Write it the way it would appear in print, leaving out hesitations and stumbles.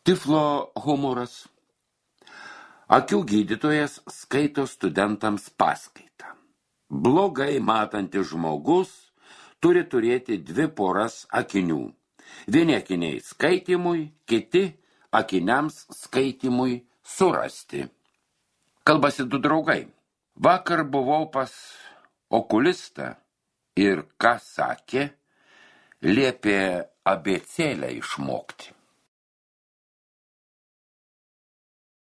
Tiflo humoras. Akių gydytojas skaito studentams paskaitą. Blogai matantis žmogus turi turėti 2 poras akinių. Vieni akiniai skaitymui, kiti akiniams skaitymui surasti. Kalbasi 2 draugai. Vakar buvau pas okulistą ir ką sakė, liepė abėcėlę išmokti.